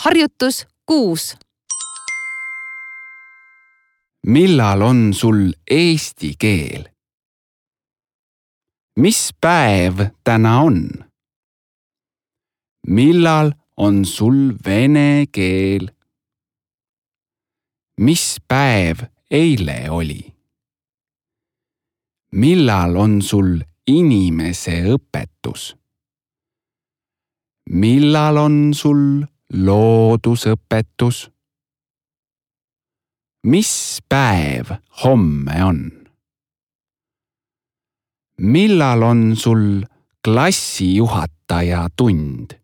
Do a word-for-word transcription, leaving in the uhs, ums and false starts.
Harjutus kuus. Millal on sul eesti keel? Mis päev täna on? Millal on sul vene keel? Mis päev eile oli? Millal on sul inimese õpetus? Millal on sul loodusõpetus? Mis päev homme on? Millal on sul klassijuhataja tund?